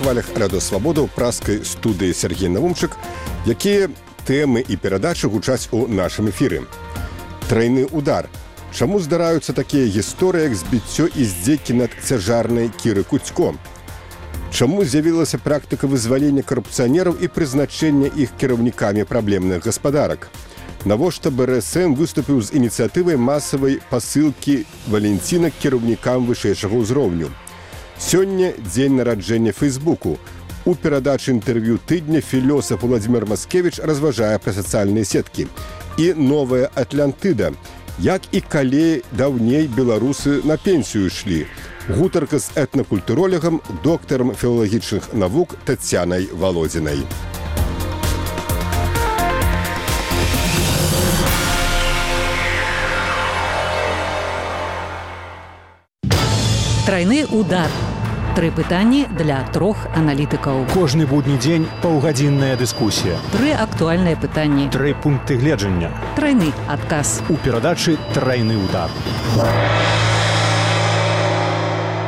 хвалях Радыё Свабода ў праскай студыі Сергей Навумчык, якія тэмы і перадачы гучаць у нашым эфіры. Трайны удар. Чаму здараюцца такія гісторыі, як збіццё і здзекі над цяжарнай Кіры Куцько? Чаму з'явілася практыка вызвалення карупцыянераў і прызначэння іх кіраўнікамі праблемных гаспадарак? Навошта БРСМ выступіў з ініцыятывай масавай пасылкі валенцінак кіраўнікам вышэйшага ўзроўню? Сёння дзень нараджэння Фейсбуку. У перадачы інтэрв'ю тыдня філёсаф Владзімір Маскевіч разважае пра сацыяльныя сеткі. І новая Атлантыда. Як і калі даўней беларусы на пенсію ішлі. Гутарка з этнакультуролегам, доктарам філалагічных навук Тацянай Володзінай. Трайны удар. 3 пытанні для 3 аналітыкаў. Кожны будні дзень паўгадзінная дыскусія. 3 актуальныя пытанні. 3 пункты гледжання. Трайны адказ. У перадачы «Трайны удар».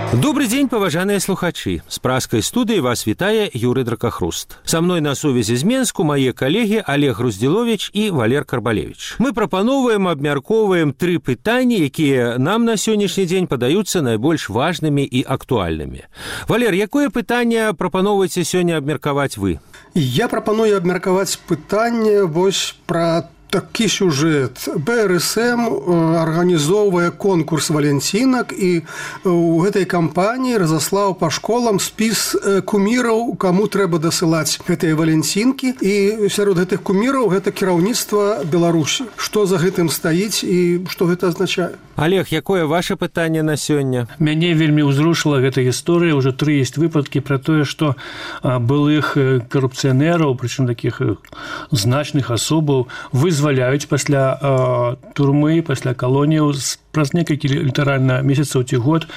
Добрый день, паважаныя слухачы. З праскай студыі вас вітае Юрый Дракахруст. Са мной на сувязі з Менску мае калегі Олег Груздзіловіч і Валер Карбалевіч. Мы прапаноўваем, абмяркоўваем 3 пытанні, якія нам на сённяшні дзень падаюцца найбольш важнымі і актуальнымі. Валер, якое пытанне прапаноўваеце сёння абмеркаваць вы? Я прапаную абмеркаваць пытанне вось пра такі сюжэт. БРСМ арганізоўвае конкурс валенцінак і ў гэтай кампаніі разаслаў па школам спіс куміраў, каму трэба дасылаць гэтыя валенцінкі. І сярод гэтых куміраў гэта кіраўніцтва Беларусі. Што за гэтым стаіць і што гэта азначае? Олег, якое ваше пытанне на сёння? Мяне вельмі ўзрушыла гэта гісторыя. Уже 3 ёсць выпадкі пра тое, што былых карупцыянераў, прычым такіх значных асобаў, вызваляюць пасля турмы, пасля калоніяў праз некалькі літаральна месяцаў ці год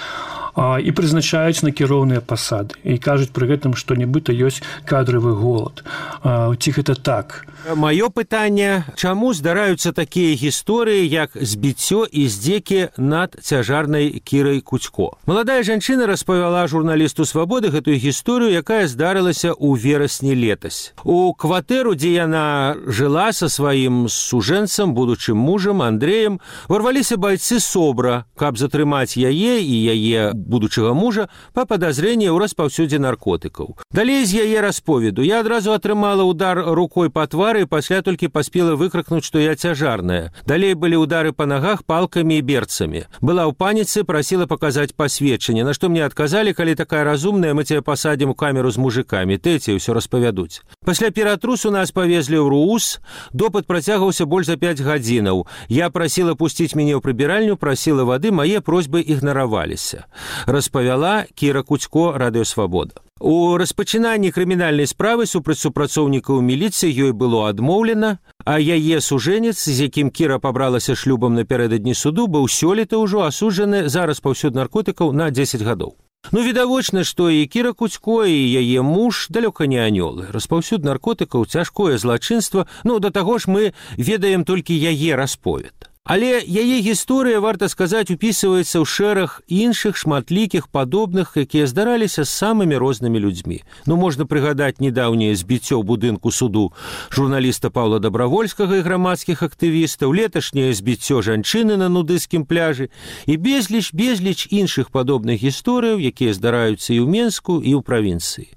і прызначаюць на кіроўныя пасады. І кажуць пры гэтым, што нібыта ёсць кадравы голад. Ці гэта так? Маё пытанне, чаму здараюцца такія гісторыі, як збіццё і здзекі над цяжарнай Кірай Куцько? Маладая жанчына распавяла журналісту «Свабоды» гэтую гісторыю, якая здарылася ў верасні летась. У кватэру, дзе яна жыла са сваім сужэнцам, будучым мужам Андрэем, ворваліся байцы СОБРа, каб затрымаць яе і яе будучага мужа па падазрэнні ў распаўсюдзе наркотыкаў. Далей з яе расповеду. Я адразу атрымала удар рукой па твары і пасля толькі паспела выкрыкнуць, што я цяжарная. Далей былі удары па нагах палкамі і берцамі. Была ў паніцы, прасіла паказаць пасведчанне, на што мне адказалі, калі такая разумная, мы цябе пасадзім у камеру з мужикамі, тэці ўсё распавядуць. Пасля ператрусу нас павезлі ў РУУС, допыт працягваўся больш за 5 гадзінаў. Я прасіла пусціць мяне ў прыбіральню, прасіла вады, мае просьбы ігнараваліся. Распавяла Кіра Куцько, Радыё Свабода. У распачынанні крымінальнай справы супраць супрацоўнікаў міліцыі ёй было адмоўлена, а яе сужэнец, з якім Кіра пабралася шлюбам напярэдадні суду, быў сёлета ўжо асуджаны за распаўсюд наркотыкаў на 10 гадоў. Відавочна, што і Кіра Куцько, і яе муж далёка не анёлы. Распаўсюд наркотыкаў, цяжкое злачынства, да таго ж мы ведаем толькі яе расповед. Але яе гісторыя, варта сказаць, упісваецца ў шэраг іншых шматлікіх падобных, якія здараліся з самымі рознымі людзьмі. Можна прыгадаць недаўняе збіццё ў будынку суду журналіста Паўла Дабравольскага і грамадскіх актывістаў, леташняе збіццё жанчыны на нудысцкім пляжы і безліч іншых падобных гісторыяў, якія здараюцца і ў Менску, і ў правінцыі.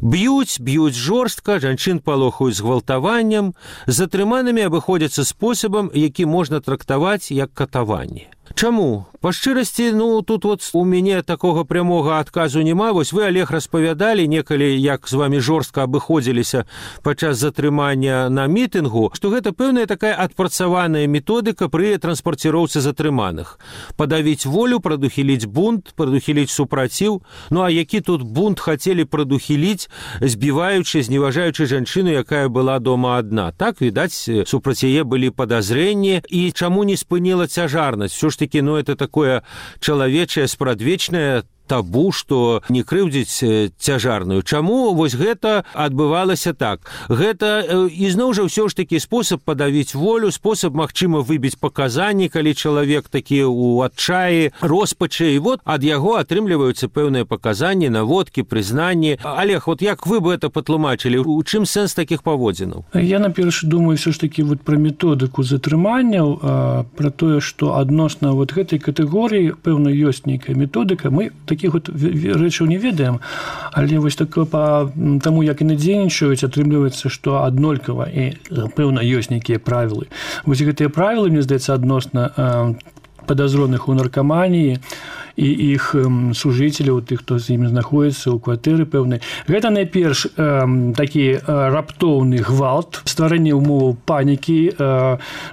Б'юць жорстка, жанчын палохаюць згвалтаваннем, з затрыманымі абыходзяцца спосабам, які можна трактаваць як катаванне. Чаму? Па шчырасці, тут у мяне такога прямога адказу няма. Вось вы, Олег, распавядалі некалі, як з вамі жорстка абыходзіліся падчас затрымання на мітынгу, што гэта пэўная такая адпрацаваная методыка пры транспарціроўцы затрыманых. Падавіць волю, прадухіліць бунт, прадухіліць супраціў. А які тут бунт хацелі прадухіліць, збіваючы, зневажаючы жанчыну, якая была дома адна. Так, відаць, супраць яе былі падазрэнні. І чаму не спыніла цяжарнасць? Все ж таки, это такое чалавечае, спрадвечнае, табу, што не крыўдзіць цяжарную. Чаму вось гэта адбывалася так? Гэта ізноў жа ўсё ж такі спосаб падавіць волю, спосаб, магчыма, выбіць паказанні, калі чалавек такі ў адчаі, роспачы, і вот ад яго атрымліваюцца пэўныя паказанні, наводкі, прызнанні. Олег, вот як вы бы это патлумачылі? У чым сэнс такіх паводзінаў? Я, наперш, думаю, все ж таки вот пра методыку затрыманняў, пра тое, што адносна вот гэтай катэгорыі, пэўна, ёсць нейкая методыка. Мы такіх вот рэчаў не ведаем, але вось так па таму, як яны дзейнічаюць, атрымліваецца, што аднолькава і, пэўна, ёсць нейкія правілы. Вось гэтыя правілы, мне здаецца, адносна падазроных у наркаманіі і іх сужыцеляў, тых, хто з імі знаходзіцца ў кватэры пэўнай. Гэта найперш такі раптоўны гвалт, стварэнне ўмоваў панікі,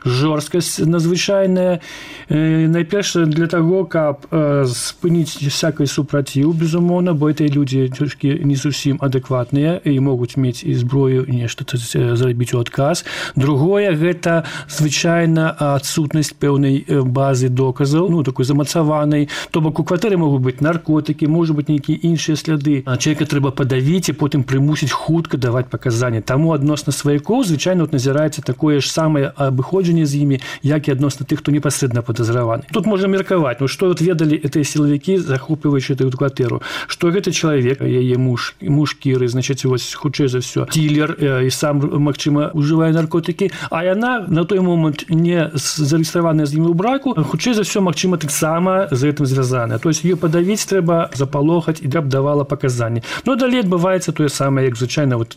жорсткасць надзвычайная. Найперш для таго, каб спыніць всякай супраціў, безумоўна, бо гэтыя людзі трошкі не зусім адэкватныя і могуць мець і зброю, нешта зрабіць у адказ. Другое, гэта звычайна адсутнасць пэўнай базы доказаў, ну, такой замацаванай, то бок у кватэры могуць быць наркотыкі, можа быць нейкія іншыя сляды. Чалавека трэба падавіць і потым прымусіць хутка даваць паказанні. Таму адносна сваякоў звычайна вот назіраецца такое ж самае абыходжанне з імі, як і адносна тых, хто непасрэдна падазраваны. Тут можна меркаваць, ну што вот ведалі гэтыя сілавікі, захопліваючы эту кватэру, што гэты чалавек, яе муж Кіры, значыць, вось хутчэй за ўсё, дилер і сам, магчыма, ужывае наркотыкі, а яна на той момант не зарэгістраваная з імі ў браку, хутчэй за ўсё, магчыма, таксама з гэтым звязана. То есть ее падавіць трэба, запалохаць, і каб давала паказанні. Но далей адбываецца тое самае, як звычайна вот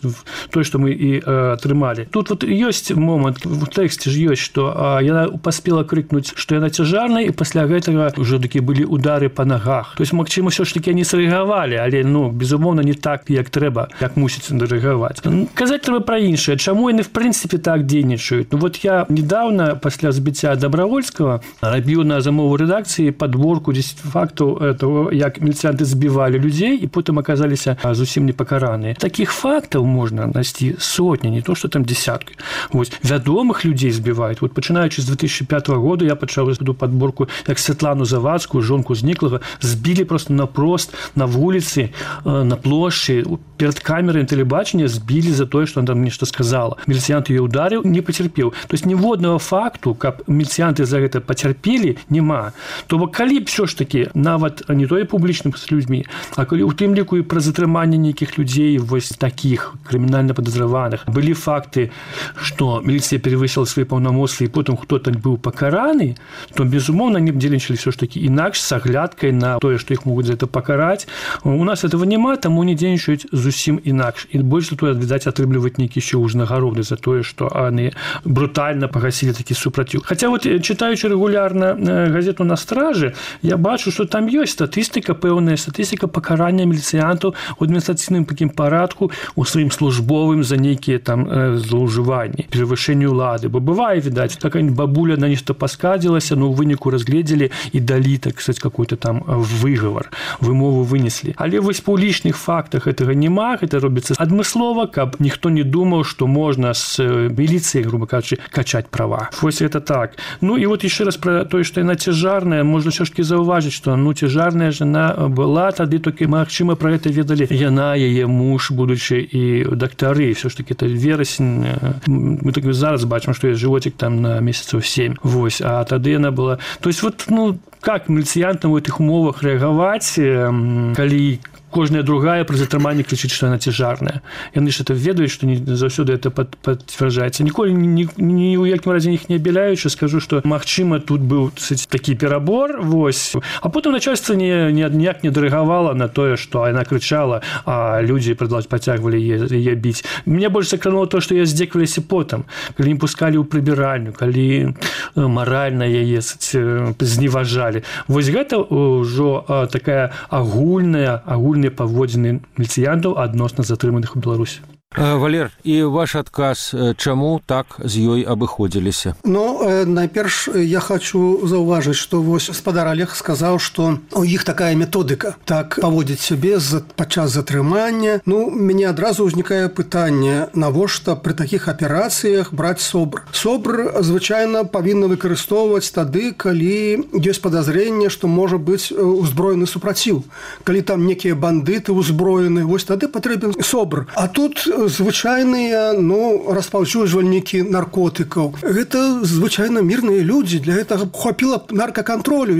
тое, што мы і атрымалі. Тут вот ёсць момант, в тэксце ж ёсць, што яна паспела крыкнуць, што яна цяжарная, і пасля гэтага ўжо такі былі удары па нагах. То есть, магчыма, ўсё ж такі яны срэагавалі, але, ну, безумоўна, не так, як трэба, як мусіць рэагаваць. Казаць трэба пра іншае. Чаму яны, в прынцыпе, так дзейнічаюць? Ну, вот я недавно, пасля збіцця Добравольскага, рабіў на замову рэдакцыі падборку 10 фактаў того, як міліцыянты збівалі людзей і потым аказаліся зусім непакараныя. Такіх фактаў можна знайсці сотні, не то, што там десяткі. Вось, вядомых людзей збіваюць. Вот, пачынаючы з 2005 года я пачаў эту падборку, як Святлану Завадскую, жонку зніклага, збілі просто напрост на вуліцы, на плошчы, перад камерай тэлебачання збілі за тое, што она там нешта сказала. Міліцыянт яе ударыў, не пацярпеў. То есть ніводнага факту, каб міліцыянты за гэта пацярпелі, няма. То бок, калі б ўсё ж такі нават не тое публічным з людзьмі, а калі у тым ліку і пра затрыманне нейкіх людзей вось такіх крымінальна падазраваных былі факты, што міліцыя перавысіла свае паўнамоцтвы і потым хто-то быў пакараны, то безумоўна не б дзейнічалі ўсё ж такі інакш з аглядкай на тое, што іх могуць за гэта пакараць. У нас этого няма, таму не дзейнічаюць зусім інакш. І больш за тое, відаць, атрымліваць нейкі ще ўзнагароды за тое, што яны брутальна пагасілі такі супраціў. Хаця вот чытаючы рэгулярна газету «На стражы», я бачу, што там ёсць статыстыка, пэўная статыстыка пакарання міліцыянтаў у адміністрацыйным такім парадку у сваім службовым за нейкія там злоўжыванні, перавышэнне ўлады. Бо бывае, відаць, какая-нибудь бабуля на нешта паскардзілася, но ў выніку разгледзелі і далі, так сказать, какой-то там выгавар, вымову вынеслі. Але вось па лічных фактах гэтага няма, гэта робіцца адмыслова, каб ніхто не думаў, што можна з міліцыяй, грубо кажучы, качаць права. Вось это так. Ну і вот яшчэ раз пра тое, што яна цяжарная, можна ўсё ж такі заўважыць, што ну цяжарная жена была тады, толькі магчыма пра гэта ведалі яна, яе муж, будучы і дактары. Всё ж такі это верасень. Мы так зараз бачым, што ёсць жывотик там на месяцаў 7. Вось, а тады яна была. То есть вот, ну, как міліцыянтам у гэтых умовах рэагаваць, калі кожная другая пры затрыманні крычыць, што яна цяжарная. Яны ж это ведаюць, што не заўсёды это пацвярджаецца. Ніколі ні ў якім разе іх не абяляючы, скажу, што магчыма тут быў такі перабор, вось. А потым начальства ніяк не дарэгавала на тое, што яна крычала, а людзі пацягвалі яе біць. Мне больш закранула то, што яе здзекваліся потым, калі не пускалі ў прыбіральню, калі маральна яе зневажалі. Вось гэта ўжо такая агульная паводзіны міліцыянтаў адносна затрыманых у Беларусі. Валер, і ваш адказ, чаму так з ёй абыходзіліся? Найперш я хочу заўважыць, што вось гаспадар Олег сказаў, што у іх такая методыка так паводзіць сябе падчас затрымання. Мяне адразу ўзнікае пытанне, навошта пры такіх аперацыях браць СОБР. СОБР звычайна павінна выкарыстоўваць тады, калі ёсць падазрэнне, што можа быць узброены супраціў. Калі там некія бандыты ўзброены, вось тады патрэбен СОБР. А тут звычайныя распаўсюджвальнікі наркотыкаў. Гэта звычайна мірныя людзі. Для гэтага хапіла наркакантролю,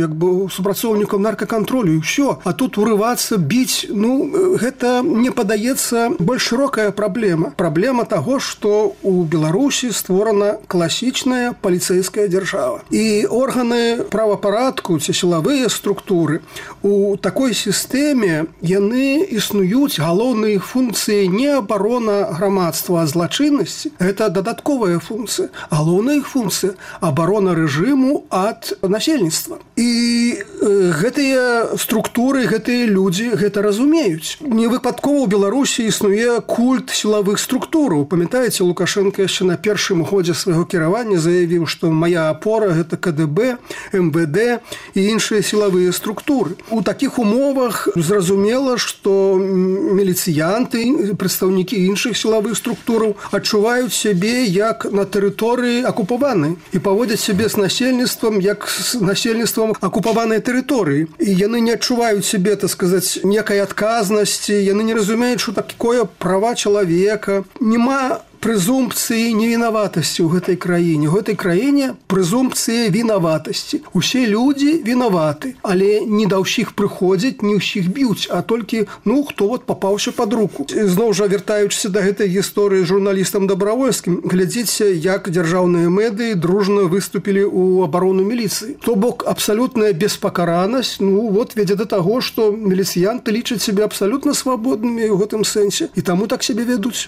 супрацоўнікаў наркакантролю, і ўсё. А тут урывацца, біць, гэта, мне падаецца, больш шырокая праблема. Праблема таго, што ў Беларусі створана класічная паліцэйская дзяржава. І органы правапарадку ці сілавыя структуры у такой сістэме яны існуюць, галоўныя іх функцыі не абарона грамадства ад злачыннасці, гэта дадатковая функцыя. Галоўная іх функцыя – абарона рэжыму ад насельніцтва. І гэтыя структуры, гэтыя людзі гэта разумеюць. Не выпадкова ў Беларусі існуе культ сілавых структураў. Памятаеце, Лукашенко яшчэ на першым годзе свайго кіравання заявіў, што мая апора – гэта КДБ, МВД і іншыя сілавыя структуры. У такіх умовах зразумела, што міліцыянты, прадстаўнікі іншых сілавых структураў адчуваюць сябе як на тэрыторыі акупаванай і паводзяць сябе з насельніцтвам як з насельніцтвам акупаванай тэрыторыі. І яны не адчуваюць сябе, так сказаць, некай адказнасці, яны не разумеюць, што такое права чалавека. Нема прэзумпцыі невінаватасці ў гэтай краіне. У гэтай краіне прэзумпцыя вінаватасці. Усе людзі вінаваты, але не да ўсіх прыходзяць, не ўсіх б'юць, а толькі, хто папаўся пад руку. Зноў жа, вяртаючыся да гэтай гісторыі журналістам Дабравольскім, глядзіце, як дзяржаўныя медыі дружна выступілі ў абарону міліцыі. То бок, абсалютная беспакаранасць, вядзе да таго, што міліцыянты лічаць сябе абсалютна свабоднымі ў гэтым сэнсе, і таму так сябе вядуць.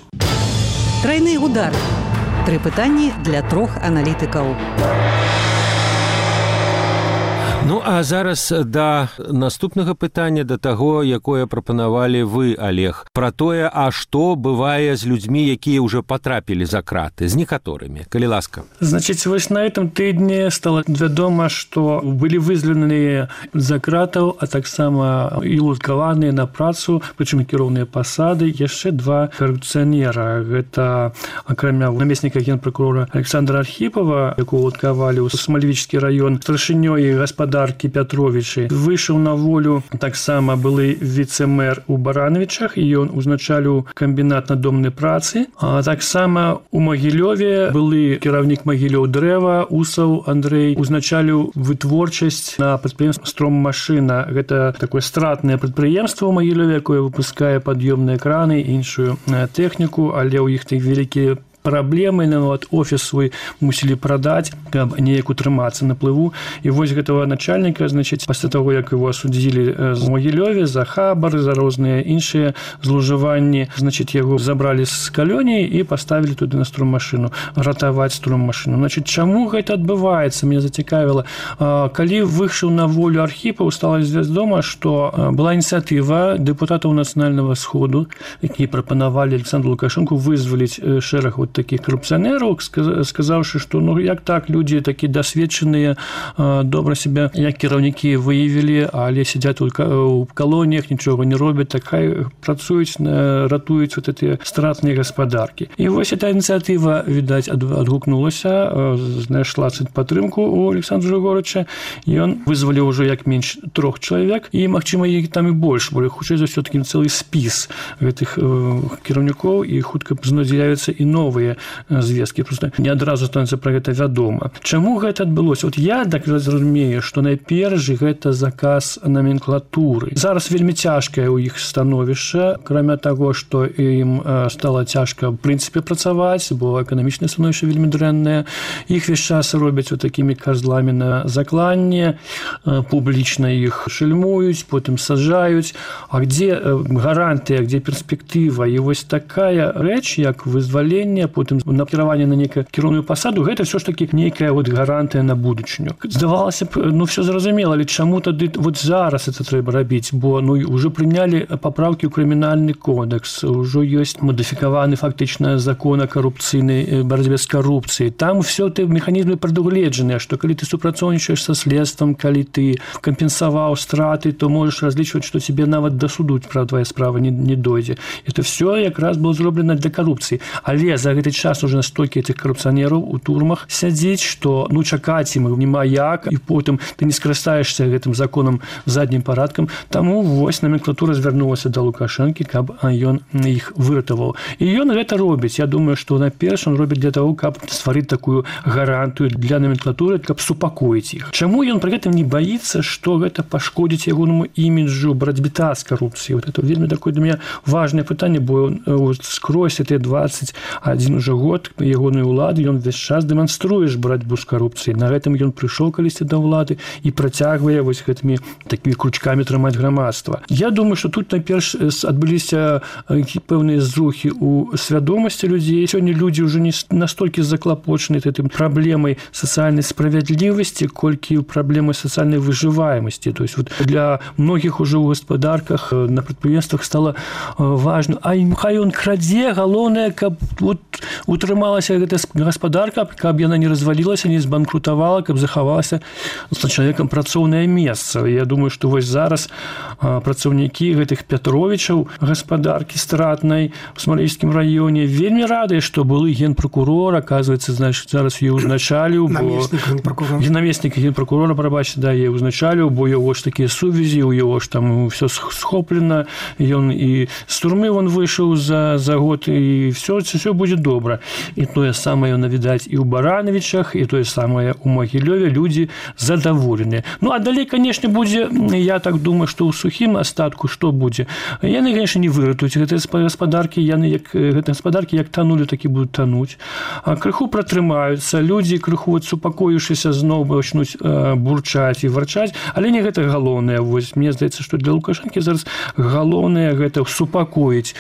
Трайны удар. 3 пытанні для 3 аналітыкаў. А зараз да наступнага пытання, да таго, якое прапанавалі вы, Олег, пра тое, а што бывае з людзьмі, якія ўжо патрапілі за краты, з некаторымі, калі ласка. Значыць, вось на этом тыдні стала вядома, што былі вызваленыя за кратаў, а таксама і луткаваныя на працу, прычым кіроўныя пасады, яшчэ 2 карупцыянера. Гэта, акрамя намесніка генпракурора Александра Архіпова, якого луткавалі ў Смалевічскі раён, старшынёй гаспадаркі Пятровічы. Выйшаў на волю таксама былы віцэ-мэр у Барановічах, і ён узначаліў камбінат надомнай працы. А таксама у Магілёве былы кіраўнік Магілёў дрэва, Усаў Андрэй, узначаліў вытворчасць на прадпрыемстве «Строммашына». Гэта такое стратнае прадпрыемства ў Магілёве, якое выпускае пад'ёмныя краны і іншую тэхніку, але ў іх тых вялікія праблемы, офіс свой мусілі прадаць, каб неяк утрымацца на плыву. І вось гэтага начальніка, пасля таго, як его асудзілі з Магілёве за хабар, за розныя іншыя злоўжыванні, яго забралі з калоніі і паставілі туды на строммашыну, ратаваць строммашыну. Чаму гэта адбываецца? Мяне зацікавіла. Калі выйшаў на волю Архіпаў, стала вядома, што была ініцыятыва дэпутатаў Нацыянальнага сходу, якія прапанавалі Александру Лукашенку вызваліць шэраг такіх карупцыянераў, сказаўшы, што як так, людзі такі дасведчаныя, добра сябе як кіраўнікі выявілі, але сядзяць у калоніях, нічога не робяць, так хай працуюць, ратуюць гэтыя стратныя гаспадаркі. І вось эта ініцыятыва, відаць, адгукнулася, знайшла падтрымку у Александра Жыгорыча, і ён вызваліў ужо як менш 3 чалавек, і, магчыма, іх там і больш, бо хутчэй за ўсё такі цэлы спіс гэтых кіраўнікоў, і хутка з'явяцца і новыя звесткі. Просто не адразу становіцца пра гэта вядома. Чаму гэта адбылося? Я так разумею, што найперш гэта заказ наменклатуры. Зараз вельмі цяжкае ў іх становішча, акрамя таго, што ім стала цяжка ў прынцыпе працаваць, бо эканамічнае становішча вельмі дрэннае. Іх весь час робяць такімі казламі на закланне, публічна іх шельмуюць, потым саджаюць. А дзе гарантыя, дзе перспектыва? І вось такая рэч, як вызваленне потым накіраванне на нейкую кіроўную пасаду, гэта ўсё ж такі нейкая гарантыя на будучыню. Здавалася б, все зразумела, але чаму тады зараз это трэба рабіць, бо уже прынялі папраўкі ў крымінальны кодекс, ужо ёсць мадыфікаваны фактычна закон о карупцыйнай барацьбе з карупцыяй. Там все ты механізмы прадугледжаныя, што калі ты супрацоўнічаеш са следствам, калі ты кампенсаваў страты, то можаш разлічваць, што тебе нават да суду твоя справа не дойдзе. Это все якраз было зроблена для карупцыі. Але за гэты час уже настолькі этих карупцыянераў у турмах сядзіць, што чакаць ім няма як, і потым ты не скарыстаешься гэтым законам заднім парадкам. Таму вось номенклатура звярнулася да Лукашэнкі, каб ён іх выратаваў. І ён гэта робіць. Я думаю, што наперш он робіць для того, каб стварыць такую гарантыю для номенклатуры, каб супакоіць іх. Чаму ён пры гэтым не баіцца, што гэта пашкодзіць ягонаму іміджу барацьбіта з карупцыяй? Вот это вельмі такое для меня важное пытанне, бо скрозь эти 21 уже год ягонай улады ён весь час дэманструеш барацьбу з карупцыяй. На гэтым ён прыйшоў калісьці да ўлады і працягвае вось гэтымі такімі кручкамі трымаць грамадства. Я думаю, што тут найперш адбыліся пэўныя зрухі ў свядомасці людзей. Сёння людзі ўжо не настолькі заклапочаны гэтым праблемай сацыяльнай справядлівасці, колькі праблемай сацыяльнай выжываемасці. То есть вот для многіх ужо ў гаспадарках, на прадпрыемствах стала важна. А хай ён крадзе, галоўнае, каб утрымалася гэта гаспадарка, каб яна не развалілася, не збанкрутавала, каб захавалася з чалавекам працоўнае месца. Я думаю, што вось зараз працаўнікі гэтых Пятровічаў гаспадаркі стратнай у Смалейскім раёне вельмі радыя, што былы генпракурор, аказваецца, значыць, зараз яе ўзначаліў, намеснік генпракурора, прабачце, да, яе ўзначаліў, бо яго ж такія сувязі, у яго ж там все схоплена, ён і з турмы он выйшаў за год, і все будзе добра. І тое самае навідаць і ў Барановичах, і тое самае ў Магілёве, людзі задаволеныя. А далей, канешне, будзе, я так думаю, што ў сухім астатку што будзе? Яны, канешне, не выратуюць гэтыя гаспадаркі, гэтыя гаспадаркі як танулі, так і будуць тануць. Крыху пратрымаюцца, людзі крыху супакоіўшыся зноў пачнуць бурчаць і варчаць, але не гэта галоўнае. Вось мне здаецца, што для Лукашэнкі зараз галоўнае гэта супакоіць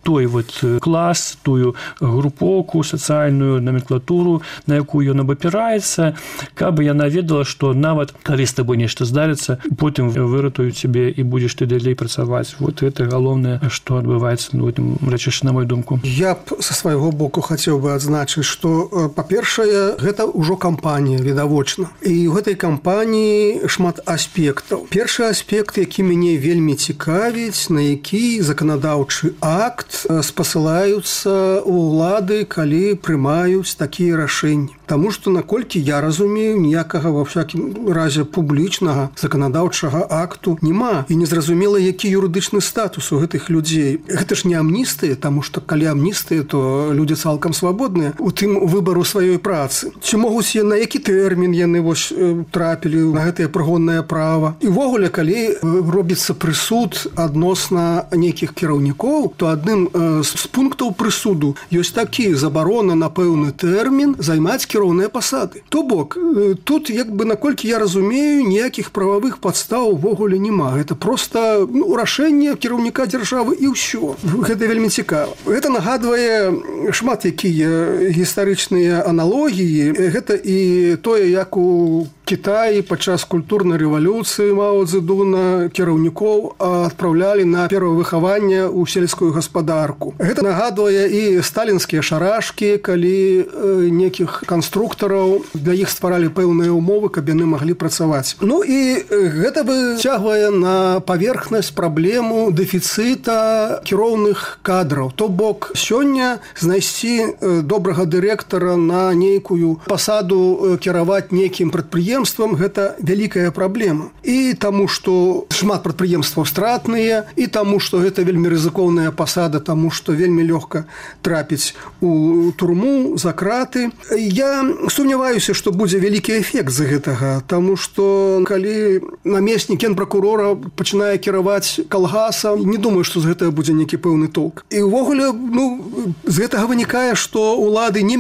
той вот клас, тую групоўку, сацыяльную номенклатуру, на якую ён абапіраецца, каб яна ведала, што нават калі з табой нешта здарыцца, потым выратуюць цябе і будзеш ты далей працаваць. Вот гэта галоўнае, што адбываецца у гэтым рэчышчы, на мою думку. Я б са свайго боку хацеў бы адзначыць, што, па-першае, гэта ўжо кампанія, відавочна. І ў гэтай кампаніі шмат аспектаў. Першы аспект, які мяне вельмі цікавіць, на які заканадаўчы акт спасылаюцца ўлады, калі прымаюць такія рашэнні. Таму што, наколькі я разумею, ніякага, ва всякім разе, публічнага заканадаўчага акту няма. І незразумела, які юрыдычны статус у гэтых людзей. Гэта ж не амністыя, таму што калі амністыя, то людзі цалкам свабодныя у тым выбару сваёй працы. Ці могуць на які тэрмін яны вось трапілі на гэтае прыгоннае права. І ўвогуле, калі робіцца прысуд адносна нейкіх кіраўнікоў, то адным з пунктаў прысуду ёсць такі: забарона на пэўны тэрмін займаць кіроўныя пасады. То бок, тут, як бы, наколькі я разумею, ніякіх прававых падстаў увогуле няма. Гэта проста рашэнне кіраўніка дзяржавы і ўсё. Гэта вельмі цікава. Гэта нагадвае шмат якія гістарычныя аналогіі. Гэта і тое, як у Кітаі падчас культурнай рэвалюцыі Мао Цзэдуна кіраўнікоў адпраўлялі на перавыхаванне ў сельскую гаспадарку. Гэта нагадвае і сталінскія шарашкі, калі некіх канструктараў для іх стваралі пэўныя ўмовы, каб яны маглі працаваць. І гэта выцягвае на паверхнасць праблему дэфіцыта кіроўных кадраў. То бок, сёння знайсці добрага дырэктара на нейкую пасаду кіраваць нейкім прадпрыемствам, гэта вялікая праблема. І таму, што шмат прадпрыемстваў стратныя, і таму, што гэта вельмі рызыкоўная пасада, таму, што вельмі лёгка трапіць у турму, за краты. Я сумняваюся, што будзе вялікі эфект з гэтага, таму што калі намеснік генпракурора пачынае кіраваць калгасам, не думаю, што з гэтага будзе нейкі пэўны толк. І ўвогуле, з гэтага вынікае, што ўлады не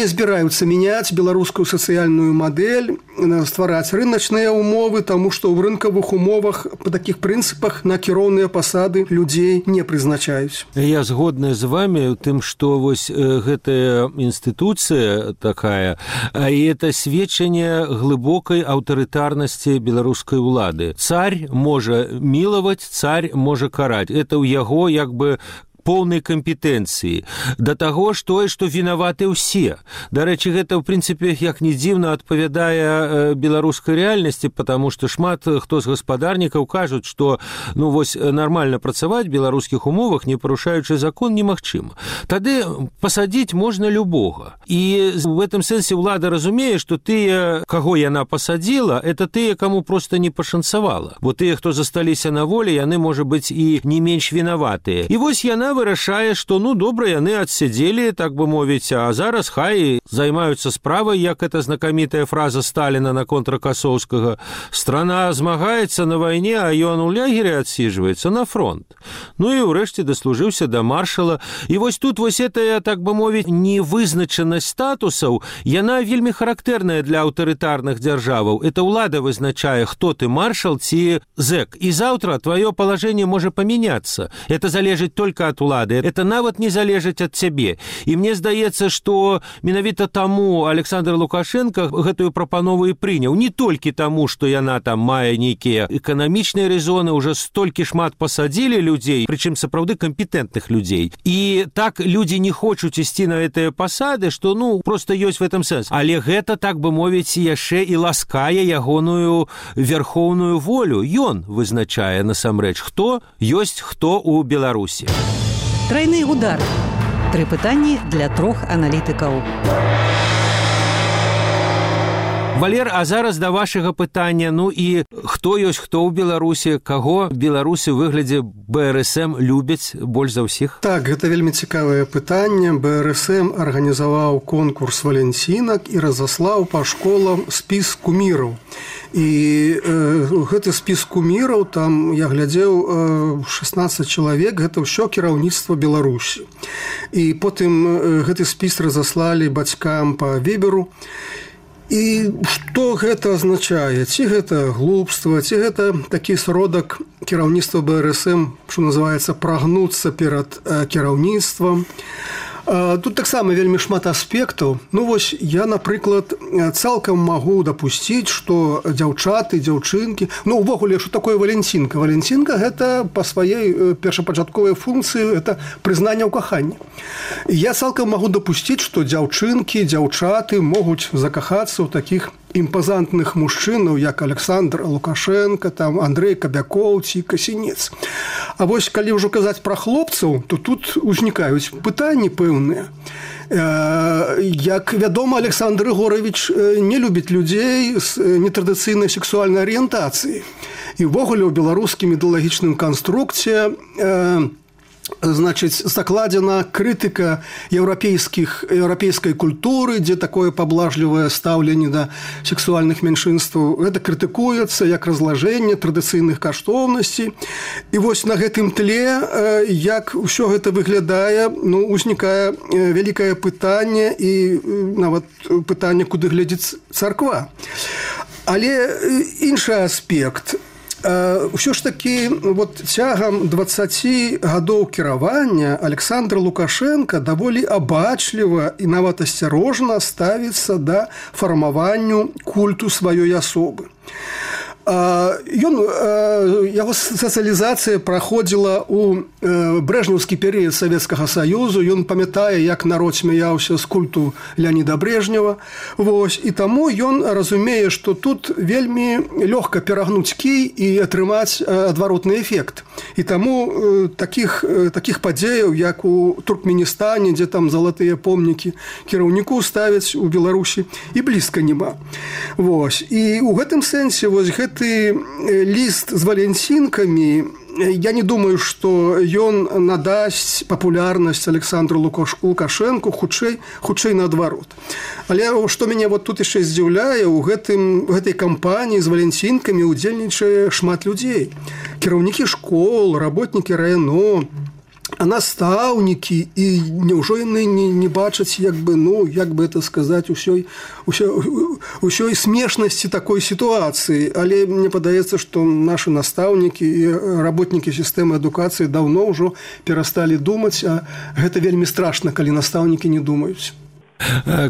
збіраюцца мяняць беларускую сацыяльную мадэль, цэль ствараць рыначныя ўмовы, таму што ў рынкавых умовах па такіх прынцыпах на кіроўныя пасады людзей не прызначаюць. Я згодны з вами тым, што вось гэтая інстытуцыя такая, і это сведчанне глыбокай аўтарытарнасці беларускай улады. Царь можа мілаваць, царь можа караць. Это ў яго як бы поўнай кампетэнцыі да таго што вінаваты ўсе. Дарэчы, гэта ў прынцыпе як не дзіўна адпавядае беларускай рэальнасці, потому што шмат хто з гаспадарнікаў кажуць, што вось нармальна працаваць в беларускіх умовах, не парушаючы закон, немагчыма. Тады пасадзіць можна любога. І в этом сэнсе ўлада разумее, што тыя, каго яна пасадзіла, это тыя, каму проста не пашанцавала. Бо тыя, хто засталіся на волі, яны, можа быць, і не менш вінаватыя. І вось яна вырашае, што добра, яны адсядзелі, так бы мовіць, а зараз хай займаюцца справай, як эта знакамітая фраза Сталіна наконт Ракасоўскага: «Страна змагаецца на вайне, а ён у лягере адсіджваецца на фронт». І ўрэшце даслужыўся да маршала. І вось тут вось этая, так бы мовіць, невызначанасць статусаў, яна вельмі характэрная для аўтарытарных дзяржаваў. Это ўлада вызначае, хто ты, маршал ці зэк. І заўтра твоё палажэнне можа памяняцца. Это залежыць только ад улады. Это нават не залежыць ад цябе. І мне здаецца, што менавіта таму Александр Лукашенко гэтую прапанову і прыняў. Не толькі таму, што яна там мае нейкія эканамічныя рэзоны, уже столькі шмат пасадзілі людзей, прычым сапраўды кампетэнтных людзей. І так людзі не хочуць ісці на гэтыя пасады, што просто ёсць в этом сэнс. Але гэта, так бы мовіць, яшчэ і ласкае ягоную верхоўную волю. Ён вызначае насамрэч, хто ёсць хто ў Беларусі. Трайны удар. 3 пытанні для 3 аналітыкаў. Валер, а зараз да вашага пытання. І хто ёсць хто ў Беларусі, каго беларусы ў выглядзе БРСМ любяць больш за ўсіх? Так, гэта вельмі цікавае пытанне. БРСМ арганізаваў конкурс валенцінак і разаслаў па школам спіс куміраў. І гэты спіс куміраў, там я глядзеў 16 чалавек, гэта ўсё кіраўніцтва Беларусі. І потым гэты спіс разаслалі бацькам па Віберу. І што гэта азначае? Ці гэта глупства, ці гэта такі сродак кіраўніцтва БРСМ, што называецца прагнуцца перад кіраўніцтвам. Тут таксама вельмі шмат аспектаў. Вось я, напрыклад, цалкам магу дапусціць, што дзяўчаты, дзяўчынкі, увогуле, што такое валенцінка? Валенцінка – гэта па сваёй першапачатковай функцыі, гэта прызнанне ў каханні. Я цалкам магу дапусціць, што дзяўчынкі, дзяўчаты могуць закахацца ў такіх імпазантных мужчынаў, як Александр Лукашенко, там Андрей Кабякоў ці Касінец. А вось калі ўжо казаць пра хлопцаў, то тут узнікаюць пытанні пэўныя. Як вядома, Александр Егорович не любіць людзей з нетрадыцыйнай сексуальнай арыентацыі. І ўвогуле ў беларускім ідэалагічным канструкце закладзена крытыка еўрапейскай культуры, дзе такое паблажлівае стаўленне да сексуальных меншынстваў. Гэта крытыкуецца як разлажэнне традыцыйных каштоўнасцей. І вось на гэтым тле, як ўсё гэта выглядае, узнікае вялікае пытанне і нават пытанне, куды глядзіць царква. Але іншы аспект – ўсё ж такі цягам 20 гадоў кіравання Александр Лукашенко даволі абачліва і нават асцярожна ставіцца да фармаванню культу сваёй асобы. Яго сацыялізацыя праходзіла ў брэжнеўскі перыяд Савецкага Саюзу. Ён памятае, як народ смяяўся з культу Леаніда Брежнева. І таму ён разумее, што тут вельмі лёгка перагнуць кій і атрымаць адваротны эфект. І таму такіх падзеяў, як у Туркменістане, дзе там залатыя помнікі кіраўніку ставяць у Беларусі, і блізка няма. І ў гэтым сэнсе гэты ліст з валенцінкамі, я не думаю, што ён надасць папулярнасць Александру Лукашенку, хутчэй наадварот. Але што мяне тут яшчэ здзіўляе, у гэтай кампаніі з валенцінкамі ўдзельнічае шмат людзей. Кіраўнікі школ, работнікі РАНО, настаўнікі, і няўжо яны не бачаць, як бы это сказаць, усёй смешнасці такой сітуацыі. Але мне падаецца, што нашы настаўнікі і работнікі сістэмы адукацыі даўно ўжо перасталі думаць, а гэта вельмі страшна, калі настаўнікі не думаюць.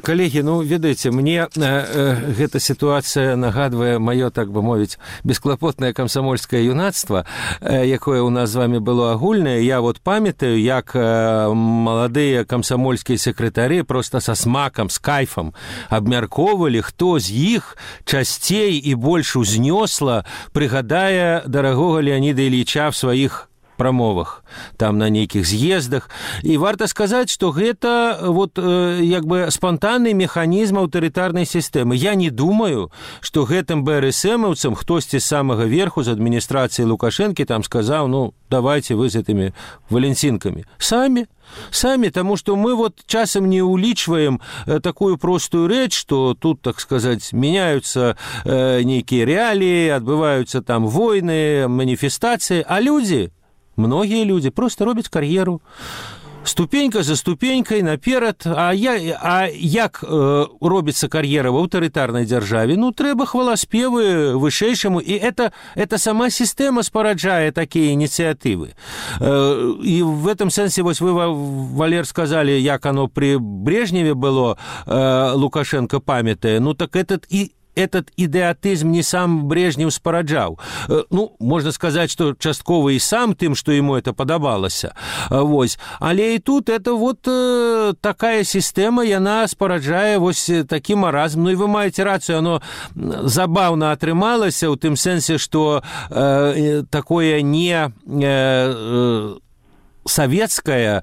Калегі, ведаеце, мне гэта сітуацыя нагадвае маё, так бы мовіць, бесклапотнае камсамольскае юнацтва, якое ў нас з вами было агульнае. Я памятаю, як маладыя камсамольскія сакратары проста са смакам, з кайфам абмяркоўвалі, хто з іх часцей і больш узнёсла прыгадае дарагога Леаніда Ільіча в сваіх прамовах, там на нейкіх з'ездах. І варта сказаць, што гэта як бы спантанны механізм аўтарытарнай сістэмы. Я не думаю, што гэтым БРСМаўцам хтосьці з самага верху, з адміністрацыі Лукашэнкі там сказаў, давайте вы з гэтымі валенцінкамі. Самі, таму што мы часам не улічваем такую простую рэч, што тут, так сказаць, мяняюцца нейкія рэаліі, адбываюцца там войны, маніфестацыі, а многія людзі проста робяць кар'еру ступенька за ступенькай наперад. А як робіцца кар'ера в аўтарытарнай дзяржаве? Трэба хваласпевы вышэйшаму, і это сама сістэма спараджае такія ініцыятывы. І в этом сэнсе, вы, Валер, сказалі, як оно при Брежневе было, Лукашенко памятае, так этот идиотизм не сам Брежнев спараджаў. Можно сказать, что часткова и сам тым, что ему это падабалася. Але и тут это такая система, яна спараджае такі маразм. И вы маете рацию, оно забавно атрымалася ў тым сэнсе, что такое не советское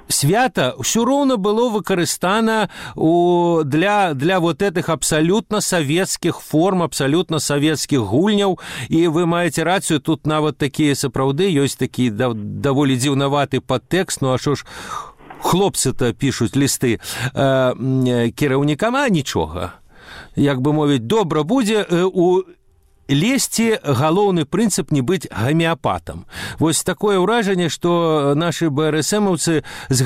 свята ўсё роўна было выкарыстана для этих абсолютно советских форм, абсолютно советских гульняў. І вы маеце рацыю, тут нават такія сапраўды ёсць такі даволі дзіўнаваты падтэкст. А што ж хлопцы-то пішуць лісты кіраўнікам, нічога. Як бы мовіць, добра будзе у лезці галоўны прынцып не быць гамеапатам. Такое ўражанне, што нашы БРСМаўцы з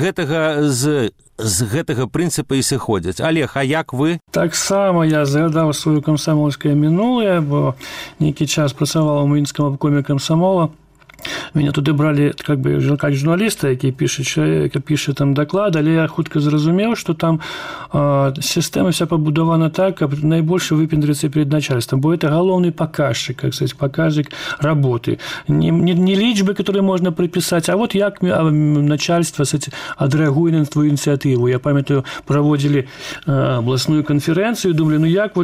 гэтага прынцыпа і сыходзяць. Олег, а як вы? Таксама я згадаў сваё камсамольскае мінулае, бо нейкі час працаваў у мінскім абкоме камсамола. Меня туды бралі как журналіста, які піша там даклад, але я хутка зразумеў, што там сістэма вся пабудавана так, каб найбольш выпендрыцца перед начальством, бо это галоўны паказчык, паказчык работы. Не лічбы, которые можно приписать, а як начальство адрэагуе на твою ініцыятыву. Я памятаю, праводзілі абласную канферэнцыю, думалі, як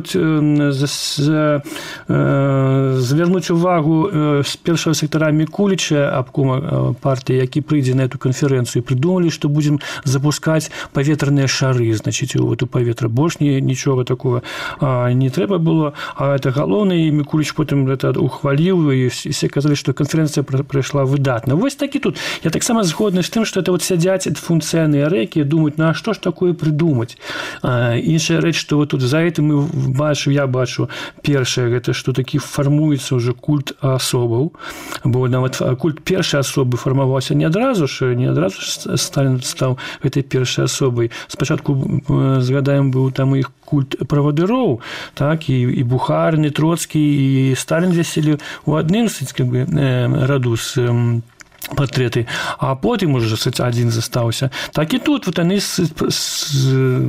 звярнуць увагу з першага сектара Мікуліча, обкома партии, які прыйдзе на эту конференцию, придумали, что будем запускать поветренные шары, значит, у эту поветра. Больше ничего такого не трэба было, а это галоўнае, и Микулич потом это ухвалил, и все казали, что конференция прошла выдатно. Таки тут. Я так само згодны с тем, что это сядзяць функцыянеры, якія думаюць, а что ж такое придумать? Іншая рэч, что тут за этим я бачу, першае, это что таки формуецца уже культ асобаў, бо нават культ першай асобы фармаваўся не адразу Сталін стаў гэтай першай асобай. Спачатку, згадаем, быў там іх культ правадыроў, так, і Бухарин, і Троцкі, і Сталін вяселі ў адным раду з партрэты, а потым уже один застаўся. Так і тут яны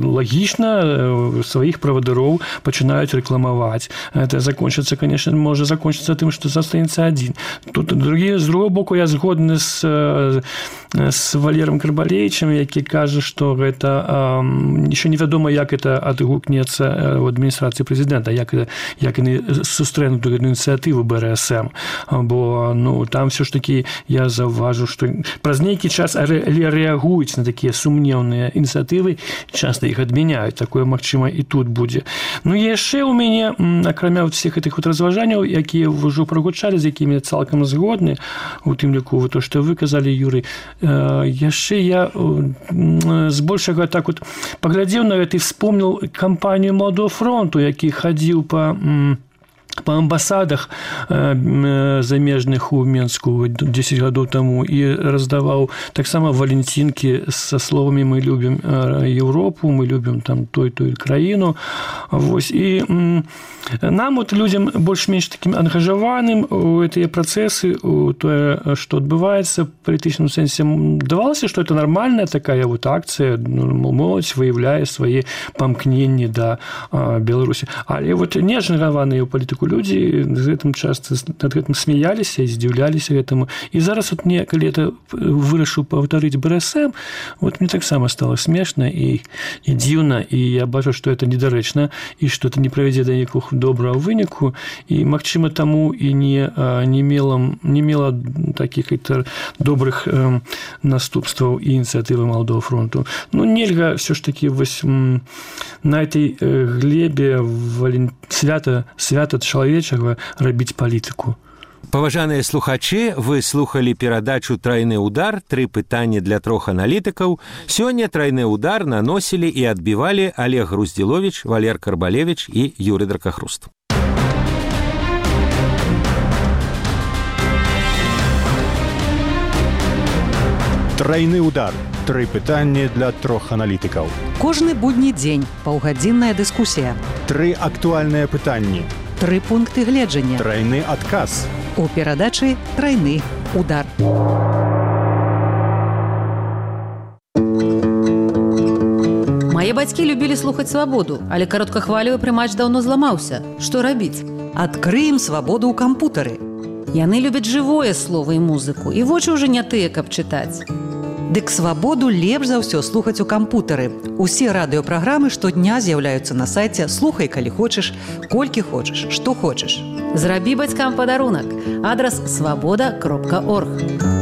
лагічна сваіх правадыроў пачынаюць рэкламаваць. Это закончыцца, конечно, можа закончыцца тым, што застанецца адзін. Тут з другого боку я згодны з Валером Карбалевичем, які кажа, што гэта еще невядома, як это адгукнецца ў адміністрацыі прэзідэнта, як яны сустрэнут гэту ініцыятыву БРСМ, бо там все ж таки я заўважу, што праз нейкі час рэагуюць на такія сумнеўныя ініцыятывы, часта іх адмяняюць. Такое, магчыма, і тут будзе. Яшчэ ў мяне, акрамя всех гэтых разважанняў, якія ўжо прагучалі, з якімі цалкам згодны, у тым ліку то, што вы казалі, Юрый, яшчэ я збольшага так паглядзеў на гэта і вспомніў кампанію Маладога фронту, які хадзіў па по амбасадах замежных у Менску 10 гадоў таму і раздаваў таксама валентинкі со словамі «Мы любім Европу, мы любім там той краіну». Вось. І нам, вот, людям больш-менш таким ангажаваным у гэтыя працэсы, у тое, што адбываецца в палітычным сэнсе, давалася, што это нормальная такая вот акцыя, моладзь выяўляе свае памкненні да Беларусі. Але вот не ангажаваныя ў палітыку людзі з гэтым часта над гэтым смяяліся і здзіўляліся гэтаму. І зараз вот мне, калі это вырашыў паўтарыць БРСМ, вот мне таксама стала смешна і дзіўна, і я бачу, што это недарэчна, і што это не правядзе да ніякіх добрага выніку, і, магчыма, таму і не мела такіх добрых наступстваў і ініцыятывы Маладога фронту. Ну, нельга все ж таки вось на этой глебе свята чалавечага рабіць палітыку. Паважаныя слухачы, вы слухалі перадачу «Трайны удар», 3 пытанні для 3 аналітыкаў. Сёння «Трайны удар» наносілі і адбівалі Олег Груздзіловіч, Валер Карбалевіч і Юрый Дракахруст. Трайны удар. 3 пытанні для 3 аналітыкаў. Кожны будні дзень паўгадзінная дыскусія. 3 актуальныя пытанні. 3 пункты гледжання. Трайны адказ. У перадачы «Трайны удар». Мае бацькі любілі слухаць свабоду, але кароткахвалевы прымач даўно зламаўся. Што рабіць? Адкрыем свабоду ў кампутары. Яны любяць жывое слова і музыку, і вочы ўжо не тыя, каб чытаць. Дык свабоду лепш за ўсё слухаць у кампутары. Усе радыёпраграмы штодня з'яўляюцца на сайце «Слухай, калі хочаш, колькі хочаш, што хочаш». Зрабі бацькам падарунак. Адрас свабода.орг.